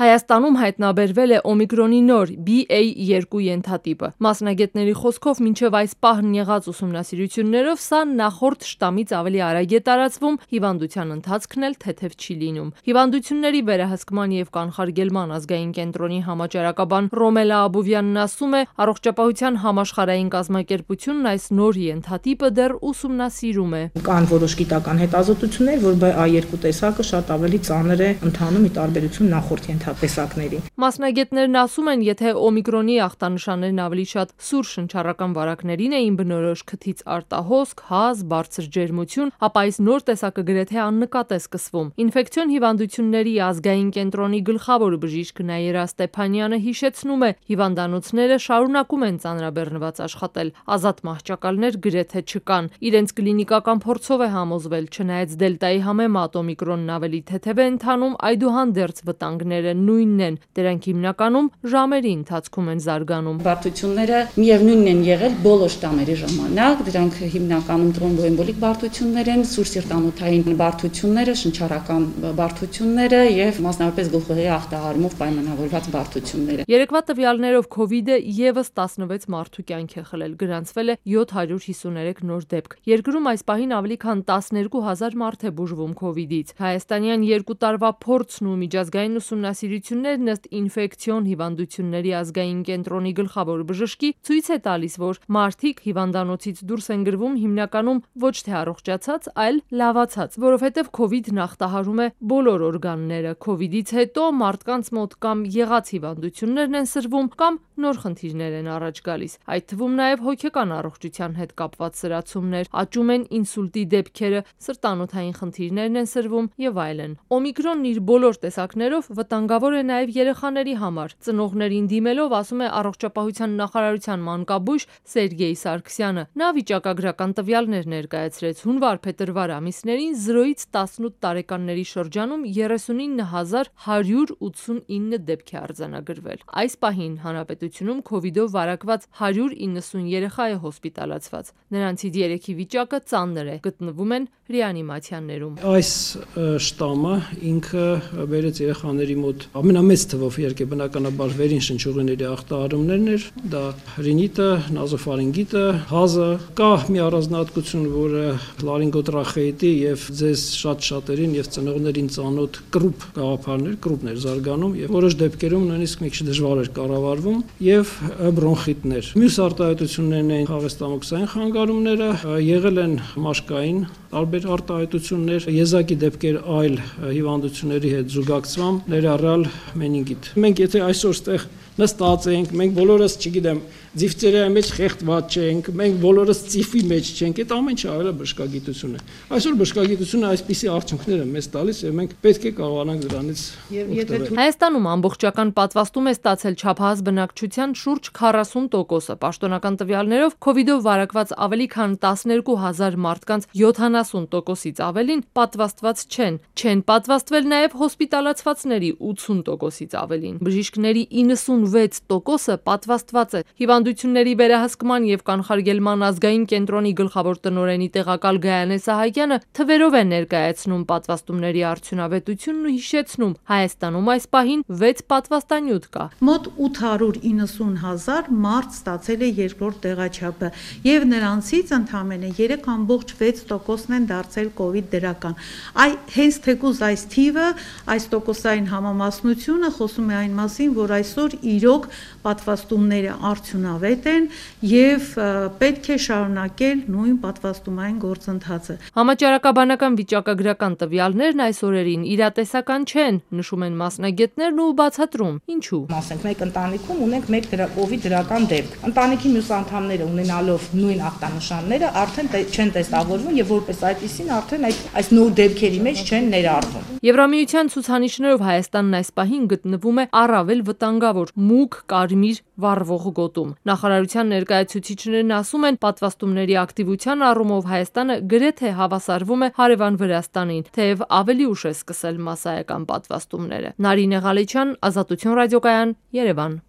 Հայաստանում հայտնաբերվել է օմիկրոնի նոր BA2 ենթատիպը։ Մասնագետների խոսքով մինչև այս պահն եղած ուսումնասիրություններով սա նախորդ շտամից ավելի արագ է տարածվում, հիվանդության ընթացքն էլ թեթև չի լինում։ Հիվանդությունների վերահսկման և կանխարգելման ազգային կենտրոնի համաճարակաբան Ռոմելա Աբովյանն ասում է, Առողջապահության համաշխարհային կազմակերպությունն այս նոր ենթատիպը դեռ ուսումնասիրում է։ Կան որոշ գիտական հետազոտություններ, որ BA2 տեսակը շատ ավելի ծանր է ընթանում ի տարբերություն նախորդ տեսակների։ Մասնագետներն ասում են, եթե օմիկրոնի ախտանշաններն ավելի շատ սուր շնչառական վարակներին էին բնորոշ, քթից արտահոսք, հազ, բարձր ջերմություն, ապա այս նոր տեսակը գրեթե աննկատ է սկսվում։ Ինֆեկցիոն հիվանդությունների ազգային կենտրոնի գլխավոր բժիշկ Նաիրա Ստեփանյանը հիշեցնում է, հիվանդանոցները շարունակում են ծանրաբեռնված աշխատել, ազատ մահճակալներ գրեթե չկան։ Իրենց կլինիկական փորձով է համոզվել, չնայած դելտայի համեմատ օմիկրոնն ավելի թեթև է ընթանում, այդուհանդերձ վտանգները նույնն են, դրանք հիմնականում ժամերի ընթացքում են զարգանում։ Բարդությունները միևնույնն են եղել բոլոր շտամերի ժամանակ, դրանք հիմնականում տրոմբոէմբոլիկ բարդություններ են, սուր սիրտանոթային բարդությունները, շնչառական բարդությունները եւ մասնավորապես գլխուղեղի ախտահարումով պայմանավորված բարդությունները։ Երեկվա տվյալներով COVID-ը եւս 16 մարդու կյանք է խլել, գրանցվել է 753 նոր դեպք։ Երկրում այս պահին ավելի քան 12000 մարդ է բուժվում COVID-ից։ Հայաստանյան 2 տարվա փորձն ու միջազգային ուսումնասիրություններն ըստ ինֆեկցիոն հիվանդությունների ազգային կենտրոնի գլխավոր բժշկի ցույց է տալիս, որ մարդիկ հիվանդանոցից դուրս են գրվում հիմնականում ոչ թե առողջացած, այլ լավացած, որովհետև COVID-ն ախտահարում է բոլոր օրգանները։ COVID-ից հետո մարդկանց մոտ կամ եղած հիվանդություններն են սրվում, կամ նոր խնդիրներ են առաջ գալիս։ Այդ թվում նաև հոգեկան առողջության հետ կապված սրացումներ, աճում են ինսուլտի դեպքերը, սրտանոթային խնդիրներն են սրվում եւ այլն։ Օմիկրոնն իր բոլոր տեսակներով վտանգավոր է նաև երեխաների համար։ Ծնողներին դիմելով ասում է Առողջապահության նախարարության մանկաբույժ Սերգեյ Սարգսյանը։ Նա վիճակագրական տվյալներ ներկայացրեց հունվար-փետրվար ամիսներին 0-ից 18 տարեկանների շրջանում 39189 դեպք է արձանագրվել։ Այս պահին հանրապետությունում COVID-ով վարակված 190 երեխա է հոսպիտալացված։ Նրանցից 3-ի վիճակը ծանր է, գտնվում են ռեանիմացիաներում։ Այս շտամը ինքը բերեց երեխաների մոտ ամենամեծ թվով իհարկե բնականաբար վերին շնչուղիների ախտահարումներն էր, դա ռինիտը, նազոֆարինգիտը, հազը, կա մի առանձնահատկություն, որը լարինգոտրախեիտի եւ ձեզ շատ-շատերին եւ ծնողներին ծանոթ կրուպ գաղափարներ, կրուպներ զարգանում եւ որոշ դեպքերում նույնիսկ մի քիչ դժվար էր կառավարվում եւ բրոնխիտներ։ Մյուս արտահայտություններն են խաղեստամոքսային խանգարումները, եղել են մաշկային տարբեր արտահայտություններ, եզակի դեպքեր այլ հիվանդությունների հետ զուգակցությամբ, ներառյալ մենինգիտ։ Մենք եթե այսօր ստեղ նստած ենք, մենք բոլորս, չգիտեմ, ձիվծերայի մեջ խեղդված չենք, մենք բոլորս ծիֆի մեջ չենք, այդ ամեն ինչը արել է բժշկագիտությունը։ Այսօր բժշկագիտությունը այսպիսի արդյունքներ է մեզ տալիս եւ մենք պետք է կարողանանք դրանից օգտվել։ Հայաստանում ամբողջական պատվաստում է ստացել չափահաս բնակչության շուրջ 40%-ը։ Պաշտոնական տվյալներով COVID-ով վարակված ավելի քան 12000 մարդկանց 70%-ից ավելին պատվաստված չեն։ Չեն պատվաստվել նաև հոսպիտալացվածների 80%-ից ավելին։ Բժիշկների 96%-ը պատվաստված է։ Հիվանդությունների վերահսկման եւ կանխարգելման ազգային կենտրոնի գլխավոր տնօրենի տեղակալ Գայանե Սահակյանը թվերով է ներկայացնում պատվաստումների արդյունավետությունն ու հիշեցնում, Հայաստանում այս պահին 6 պատվաստանյութ կա։ Մոտ 890,000 մարդ ստացել է երկրորդ տեղաչափը եւ նրանցից ընդամենը 3.6%-ն են դարձել COVID դրական։ Հենց թեկուզ այս թիվը, այս տոկոսային համամասնությունը խոսում է այն մասին, որ այսօր իրոք պատվաստումները արդյունավետ են եւ պետք է շարունակել նույն պատվաստումային գործընթացը։ Համաճարակաբանական վիճակագրական տվյալներն այս օրերին իրատեսական չեն, նշում են մասնագետներն ու բացատրում։ Ինչու՞։ Ասենք, մեկ ընտանիքում ունենք մեկ COVID դրական դեպք։ Ընտանիքի մյուս անդամները ունենալով նույն ախտանշանները արդեն չեն տեստավորվում եւ որպես այդպեսին արդեն այս նոր դեպքերի մեջ չեն ներառվում։ Եվրամիության ցուցանիշներով Հայաստանն այս պահին գտնվում է առավել վտանգավոր մուգ կարմիր վառվող գոտում։ Նախարարության ներկայացուցիչներն ասում են, պատվաստումների ակտիվության առումով Հայաստանը գրեթե հավասարվում է հարևան Վրաստանին, թեև ավելի ուշ է սկսել մասսայական պատվաստումները։ Նարինե Ղալեչյան, Ազատություն ռադիոկայան, Երևան։